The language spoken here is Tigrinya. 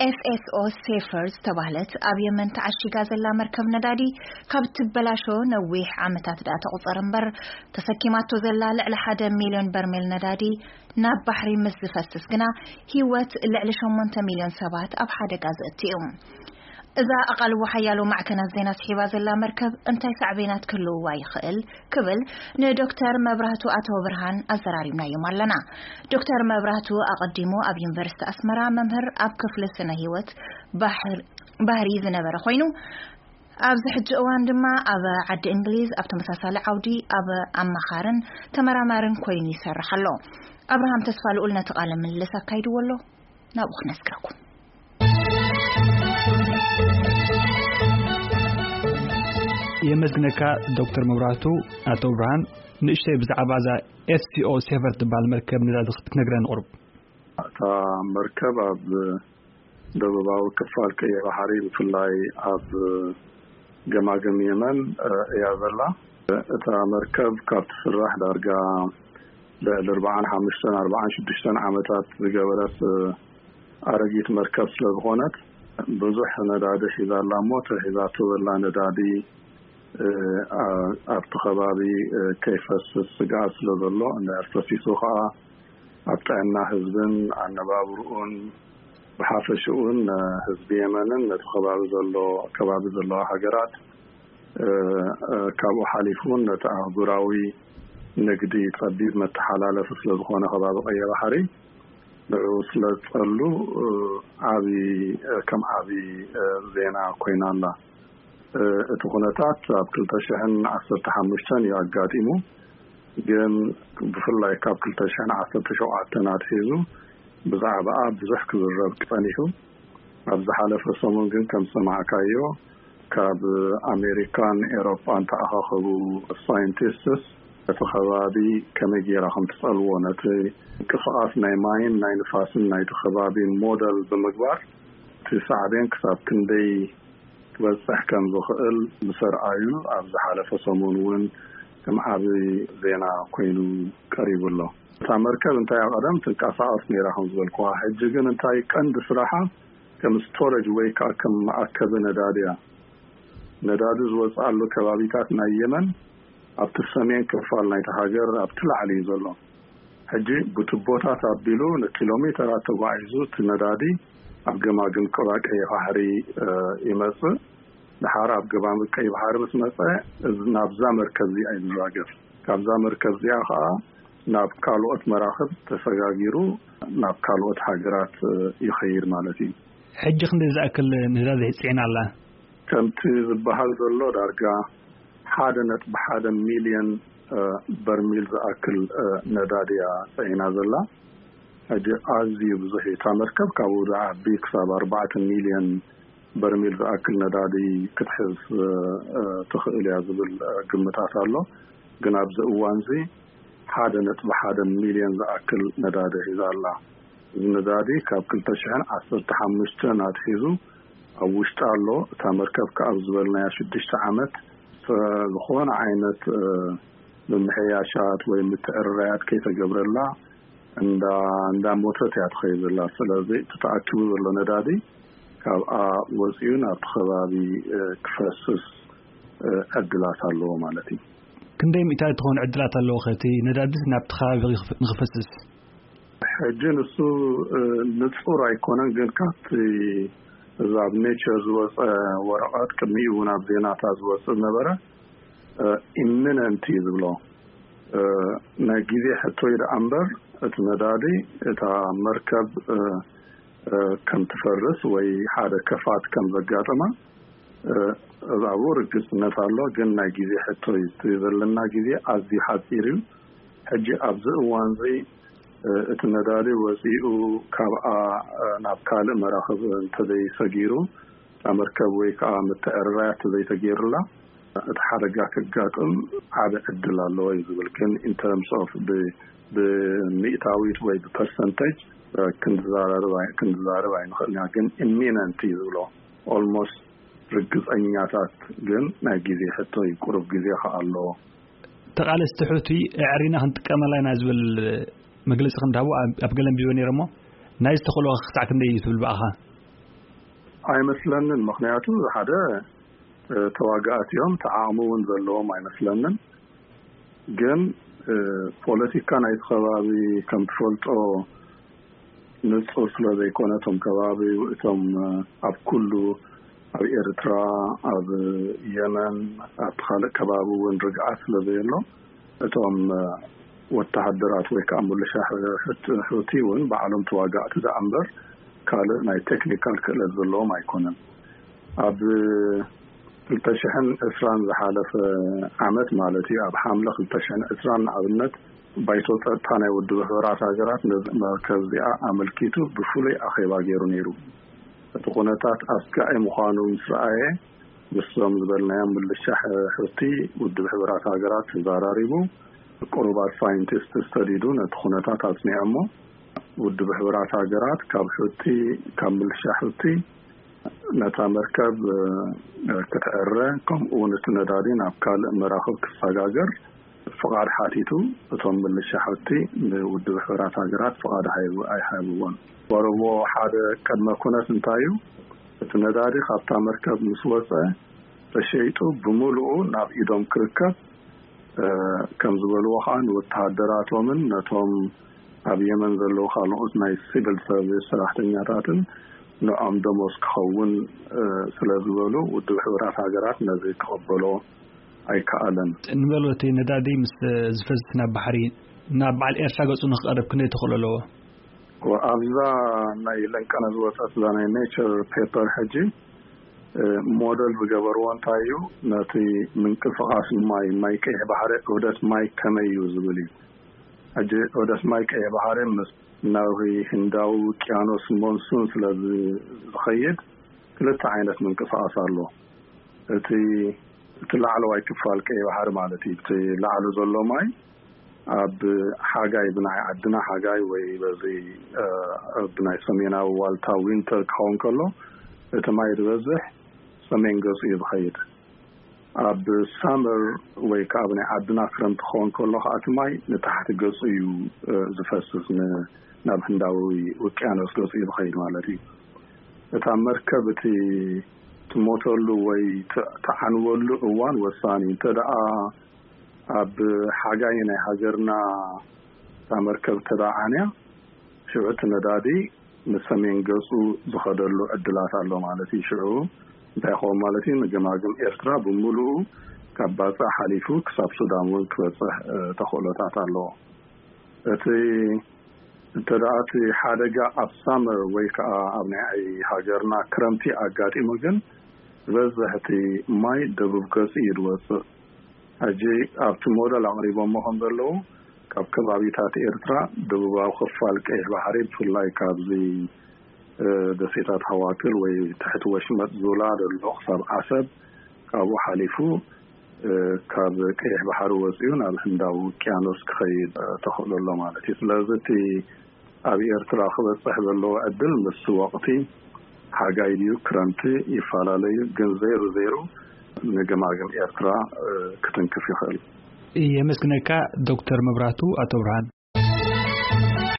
ኤፍ ኤስ ኦ ሴፈር ዝተባህለት ኣብ የመን ተዓሺጋ ዘላ መርከብ ነዳዲ ካብ ትበላሾ ነዊሕ ዓመታት ደኣ ተቑጸር እምበር፣ ተሰኪማቶ ዘላ ልዕሊ ሓደ ሚልዮን በርሜል ነዳዲ ናብ ባሕሪ ምስ ዝፈስስ ግና፣ ህይወት ልዕሊ ሸሞንተ ሚልዮን ሰባት ኣብ ሓደጋ ዘእቱ እዩ። እዛ ኣቓልቦ ሓያሎ ማዕከናት ዜና ስሒባ ዘላ መርከብ እንታይ ሳዕቤናት ክህልውዋ ይኽእል? ክብል ንዶክተር መብራህቱ ኣተወ ብርሃን ኣዘራሪብናዮም ኣለና። ዶክተር መብራህቱ ኣቐዲሙ ኣብ ዩኒቨርሲቲ ኣስመራ መምህር ኣብ ክፍሊ ስነ ህይወት ባሕር-፣ ባህሪ ዝነበረ ኮይኑ፣ ኣብዚ ሕጂ እዋን ድማ ኣብ ዓዲ እንግሊዝ ኣብ ተመሳሳሊ ዓውዲ ኣብ ኣማኻርን ተመራማርን ኮይኑ ይሰርሕ ኣሎ። ኣብርሃም ተስፋ ልኡል ነቲ ቃለ ምልልስ ኣካይድዎ ኣሎ። ናብኡ ክነስግረኩም። የመስግነካ ዶክተር መብራህቱ። ኣቶ ብርሃን፣ ንእሽተይ ብዛዕባ እዛ ኤፍ ሲ ኦ ሴፈር ትበሃል መርከብ ነዳዲ ክትነግረኒ ቁሩብ። እታ መርከብ ኣብ ደቡባዊ ክፋል ቀይሕ ባሕሪ፣ ብፍላይ ኣብ ገማግም የመን፣ እ፣ እያ ዘላ። እታ መርከብ ካብ ትስራሕ ዳርጋ ልዕሊ ኣርባዓን ሓሙሽተን ኣርባዓን ሽዱሽተን ዓመታት ዝገበረት፣ እ፣ ኣረጊት መርከብ ስለ ዝኾነት፣ ብዙሕ ነዳዲ ሒዛ ኣላ እሞ፣ እቲ ሒዛቶ ዘላ ነዳዲ፣ እ፣ ኣ-፣ ኣብቲ ከባቢ፣ እ፣ ከይፈስስ ስግኣት ስለ ዘሎ፣ እንድሕር ፈሲሱ ኸኣ ኣብ ጥዕና ህዝብን ኣነባብርኡን ብሓፈሽኡን፣ እ፣ ህዝቢ የመንን ነቲ ከባቢ ዘሎ፣ ከባቢ ዘለዋ ሃገራት፣ እ፣ እ፣ ካብኡ ሓሊፉ እውን ነቲ ኣህጉራዊ ንግዲ ጸቢብ መተሓላለፊ ስለ ዝኾነ ከባቢ ቀይሕ ባሕሪ፣ ንዕኡ ስለ ዝጸሉ፣ እ፣ ዓቢ፣ እ፣ ከም ዓቢ፣ እ፣ ዜና ኮይና ኣላ። እ፣ እቲ ኩነታት ኣብ ክልተ ሽሕን ዓሰርተ ሓሙሽተን እዩ ኣጋጢሙ። ግን ብፍላይ ካብ ክልተ ሽሕን ዓሰርተ ሸውዓተን ኣትሒዙ ብዛዕባኣ ብዙሕ ክዝረብ ጸኒሑ። ኣብ ዝሓለፈ ሰሙን ግን ከም ዝሰማዕካዮ ካብ ኣሜሪካን ኤሮጳን ተኣኻኸቡ ሳይንቲስትስ እቲ ከባቢ ከመይ ጌራ ከም ትጸልዎ ነቲ ምንቅስቓስ ናይ ማይን ናይ ንፋስን ናይቲ ከባቢ ሞደል ብምግባር እቲ ሳዕቤን ክሳብ ክንደይ ክበጽሕ ከም ዝኽእል ምስ ኣርኣዩ ኣብ ዝሓለፈ ሰሙን እውን ከም ዓቢ ዜና ኮይኑ ቀሪቡ ኣሎ። እታ መርከብ እንታይ ኣብ ቀደም ትንቀሳቐስ ነይራ ከም ዝበልኩዋ፣ ሕጂ ግን እንታይ ቀንዲ ስራሓ ከም ስቶሬጅ ወይ ከዓ ከም መኣከቢ ነዳዲ እያ። ነዳዲ ዝወፅኣሉ ከባቢታት ናይ የመን ኣብቲ ሰሜን ክፋል ናይቲ ሃገር ኣብቲ ላዕሊ እዩ ዘሎ። ሕጂ ብቱቦታት ኣቢሉ ንኪሎ ሜተራት ተጓዒዙ እቲ ነዳዲ ኣብ ገማግም ቀባ ቀይሕ ባሕሪ፣ እ፣ ይመጽእ። ድሓር ኣብ ገማግም ቀይሕ ባሕሪ ምስ መጸ፣ እዚ ናብዛ መርከብ እዚኣ እዩ ዝዛገፍ። ካብዛ መርከብ እዚኣ ኸኣ ናብ ካልኦት መራኽብ ተሰጋጊሩ ናብ ካልኦት ሃገራት፣ እ፣ ይኸይድ ማለት እዩ። ሕጂ ክንደይ ዝኣክል ነዳዲ ጽዒና ኣላ? ከምቲ ዝበሃል ዘሎ ዳርጋ ሓደ ነጥቢ ሓደ ሚልዮን፣ እ፣ በርሚል ዝኣክል፣ እ፣ ነዳዲ እያ ጽዒና ዘላ። ሕጂ ኣዝዩ ብዙሕ እዩ። እታ መርከብ ካብኡ ዝዓቢ ክሳብ ኣርባዕተ ሚልዮን በርሚል ዝኣክል ነዳዲ ክትሕዝ፣ እ፣ እ፣ ትኽእል እያ ዝብል፣ እ፣ ግምታት ኣሎ። ግን ኣብዚ እዋንዚ ሓደ ነጥቢ ሓደ ሚልዮን ዝኣክል ነዳዲ ሒዛ ኣላ። እዚ ነዳዲ ካብ ክልተ ሽሕን ዓሰርተ ሓሙሽተን ኣትሒዙ ኣብ ውሽጢ ኣሎ። እታ መርከብ ከኣ ኣብ ዝበልናያ ሽዱሽተ ዓመት፣ እ፣ ዝኾነ ዓይነት፣ እ፣ ምምሕያሻት ወይ ምትዕርራያት ከይተገብረላ እንዳ-፣ እንዳሞተት እያ ትኸይድ ዘላ። ስለዚ እቲ ተኣኪቡ ዘሎ ነዳዲ ካብኣ ወጺኡ ናብቲ ከባቢ፣ እ፣ ክፈስስ፣ እ፣ ዕድላት ኣለዎ ማለት እዩ። ክንደይ ሚእታዊት ትኸውን ዕድላት ኣለዎ ከ እቲ ነዳዲ ናብቲ ከባቢ ንኽፍ-፣ ንኽፈስስ? ሕጂ ንሱ፣ እ፣ ንጹር ኣይኮነን፣ ግን ካብቲ እዚ ኣብ ኔቸር ዝወጸ ወረቐት ቅድሚኡ እውን ኣብ ዜናታት ዝወጽእ ነበረ። እ፣ ኢሚነንት እዩ ዝብሎ። እ፣ ናይ ግዜ ሕቶ እዩ ደኣ እምበር፣ እቲ ነዳዲ፣ እታ መርከብ፣ እ፣ እ፣ ከም ትፈርስ ወይ ሓደ ከፋት ከም ዘጋጥማ፣ እ፣ ኣብኡ ርግጽነት ኣሎ። ግን ናይ ግዜ ሕቶ እዩ። እቲ ዘለና ግዜ ኣዝዩ ሓጺር እዩ። ሕጂ ኣብዚ እዋንዚ፣ እ፣ እቲ ነዳዲ ወጺኡ ካብኣ፣ እ፣ ናብ ካልእ መራኽብ እንተዘይሰጊሩ፣ እታ መርከብ ወይ ከዓ ምትዕርራይ እንተዘይተገይሩላ፣ እቲ ሓደጋ ከጋጥም ዓቢ ዕድል ኣለዎ እዩ ዝብል። ግን in terms of ብ-፣ ብሚእታዊት ወይ ብፐርሰንቴጅ፣ እ፣ ክንዛረብ ኣይ-፣ ክንዛረብ ኣይንኽእልን ኢና። ግን ኢሚነንት እዩ ዝብሎ። ኦልሞስት ርግጸኛታት፣ ግን ናይ ግዜ ሕቶ እዩ። ቁሩብ ግዜ ከኣ ኣለዎ። ተቓለስቲ ሑቲ ኣዕሪና ክንጥቀመላ ኢና ዝብል መግለጺ ከም ዝሃቡ ኣብ፣ ኣብ ገለ ኣንቢበ ነይረ እሞ፣ ናይዚ ተኽእሎ ክሳዕ ክንደይ እዩ ትብል ብኣኻ? ኣይመስለንን። ምኽንያቱ ሓደ፣ እ፣ ተዋጋእቲ እዮም፣ እቲ ዓቕሚ እውን ዘለዎም ኣይመስለንን። ግን፣ እ፣ ፖለቲካ ናይቲ ከባቢ ከም ትፈልጦ ንጹር ስለ ዘይኮነ፣ እቶም ከባቢ፣ እቶም፣ እ፣ ኣብ ኩሉ፣ ኣብ ኤርትራ፣ ኣብ የመን፣ ኣብ ካልእ ከባቢ እውን ርግኣት ስለ ዘየሎ፣ እቶም፣ እ፣ ወተሃደራት ወይ ከዓ ምልሻ ሕ-፣ ሑቲ እውን ባዕሎም ተዋጋእቲ ደኣ እምበር ካልእ ናይ ቴክኒካል ክእለት ዘለዎም ኣይኮነን። ኣብ ክልተ ሽሕን ዕስራን ዝሓለፈ ዓመት ማለት እዩ፣ ኣብ ሓምለ ክልተ ሽሕን ዕስራን ንኣብነት፣ ባይቶ ጸጥታ ናይ ውድብ ሕቡራት ሃገራት ነዚ መርከብ እዚኣ ኣመልኪቱ ብፍሉይ ኣኼባ ገይሩ ነይሩ። እቲ ኩነታት ኣስጋኢ ምዃኑ ምስ ረኣየ፣ ምስዞም ዝበልናዮም ምልሻ ሕ-፣ ሑቲ ውድብ ሕቡራት ሃገራት ተዘራሪቡ፣ ቁሩባት ሳይንቲስት ስተዲዱ ነቲ ኩነታት ኣጽኒዖሞ። ውድብ ሕቡራት ሃገራት ካብ ሑቲ፣ ካብ ምልሻ ሑቲ ነታ መርከብ፣ እ፣ ክትዕረ፣ ከምኡ እውን እቲ ነዳዲ ናብ ካልእ መራኽብ ክሰጋገር ፍቓድ ሓቲቱ። እቶም ምልሻ ሑቲ ንውድብ ሕቡራት ሃገራት ፍቓድ ሃይቡ-፣ ኣይሃብዎን። ወረዎ ሓደ ቅድመ ኩነት እንታይ እዩ? እቲ ነዳዲ ካብታ መርከብ ምስ ወጸ ተሸይጡ ብምሉኡ ናብ ኢዶም ክርከብ፣ እ፣ ከም ዝበልዎ ኸዓ ንወተሃደራቶምን ነቶም ኣብ የመን ዘለዉ ካልኦት ናይ ሲቪል ሰርቪስ ሰራሕተኛታትን ንዖም ደሞዝ ክኸውን፣ እ፣ ስለ ዝበሉ ውድብ ሕቡራት ሃገራት ነዚ ክቕበሎ ኣይከኣለን። ንበል እቲ ነዳዲ ምስ ዝፈስስ ናብ ባሕሪ ናብ በዓል ኤርትራ ገጹ ንክቐርብ ክንደይ ተኽእሎ ኣለዎ? ኣብዛ ናይ ለንቀነ ዝወጸት እዛ ናይ ኔቸር ፔፐር ሕጂ፣ እ፣ ሞደል ዝገበርዎ እንታይ እዩ? ነቲ ምንቅስቓስ ማይ፣ ማይ ቀይሕ ባሕሪ፣ ዑደት ማይ ከመይ እዩ ዝብል እዩ። ሕጂ ዑደት ማይ ቀይሕ ባሕሪ ምስ ናብ ህንዳዊ ውቅያኖስ ሞንሱን ስለ ዝ-፣ ዝኸይድ ክልተ ዓይነት ምንቅስቓስ ኣሎ። እቲ፣ እቲ ላዕለዋይ ክፋል ቀይሕ ባሕሪ ማለት እዩ። እቲ ላዕሉ ዘሎ ማይ ኣብ ሓጋይ ብናይ ዓድና ሓጋይ ወይ በዚ፣ እ፣ ብናይ ሰሜናዊ ዋልታ ዊንተር ክኸውን ከሎ፣ እቲ ማይ ዝበዝሕ ሰሜን ገጹ እዩ ዝኸይድ። ኣብ ሳመር ወይ ከዓ ኣብ ናይ ዓድና ክረምቲ ክኸውን ከሎ ከዓ እቲ ማይ ንታሕቲ ገጹ እዩ፣ እ፣ ዝፈስስ፣ ን-፣ ናብ ህንዳዊ ውቅያኖስ ገጹ እዩ ዝኸይድ ማለት እዩ። እታ መርከብ እቲ ትሞተሉ ወይ ት-፣ ትዓንወሉ እዋን ወሳኒ። እንተ ደኣ ኣብ ሓጋይ ናይ ሃገርና እታ መርከብ እንተ ደኣ ዓንያ፣ ሽዑ እቲ ነዳዲ ንሰሜን ገጹ ዝኸደሉ ዕድላት ኣሎ ማለት እዩ። ሽዑ እንታይ ይኸውን ማለት እዩ? ንገማግም ኤርትራ ብምሉኡ ካብ ባጽዕ ሓሊፉ ክሳብ ሱዳን እውን ክበጽሕ፣ እ፣ ተኽእሎታት ኣለዎ። እቲ እንተ ደኣ እቲ ሓደጋ ኣብ ሳመር ወይ ከኣ ኣብ ናይ ሃገርና ክረምቲ ኣጋጢሙ ግን፣ ዝበዝሕ እቲ ማይ ደቡብ ገጹ እዩ ዝወጽእ። ሕጂ ኣብቲ ሞደል ኣቕሪቦሞ ከም ዘለዉ፣ ካብ ከባቢታት ኤርትራ ደቡባዊ ክፋል ቀይሕ ባሕሪ፣ ብፍላይ ካብዚ፣ እ፣ ደሴታት ሃዋክል ወይ ትሕቲ ወሽመጥ ዙላ ዘሎ ክሳብ ዓሰብ፣ ካብኡ ሓሊፉ፣ እ፣ ካብ ቀይሕ ባሕሪ ወጺኡ ናብ ህንዳዊ ውቅያኖስ ክኸይድ፣ እ፣ ተኽእሎ ኣሎ ማለት እዩ። ስለዚ እቲ ኣብ ኤርትራ ክበጽሕ ዘለዎ ዕድል ምስ ወቕቲ ሓጋይ ድዩ ክረምቲ ይፈላለዩ፣ ግን ዘይሩ ዘይሩ ንገማግም ኤርትራ፣ እ፣ ክትንክፍ ይኽእል። የመስግነካ ዶክተር መብራቱ ኣቶ ብርሃን።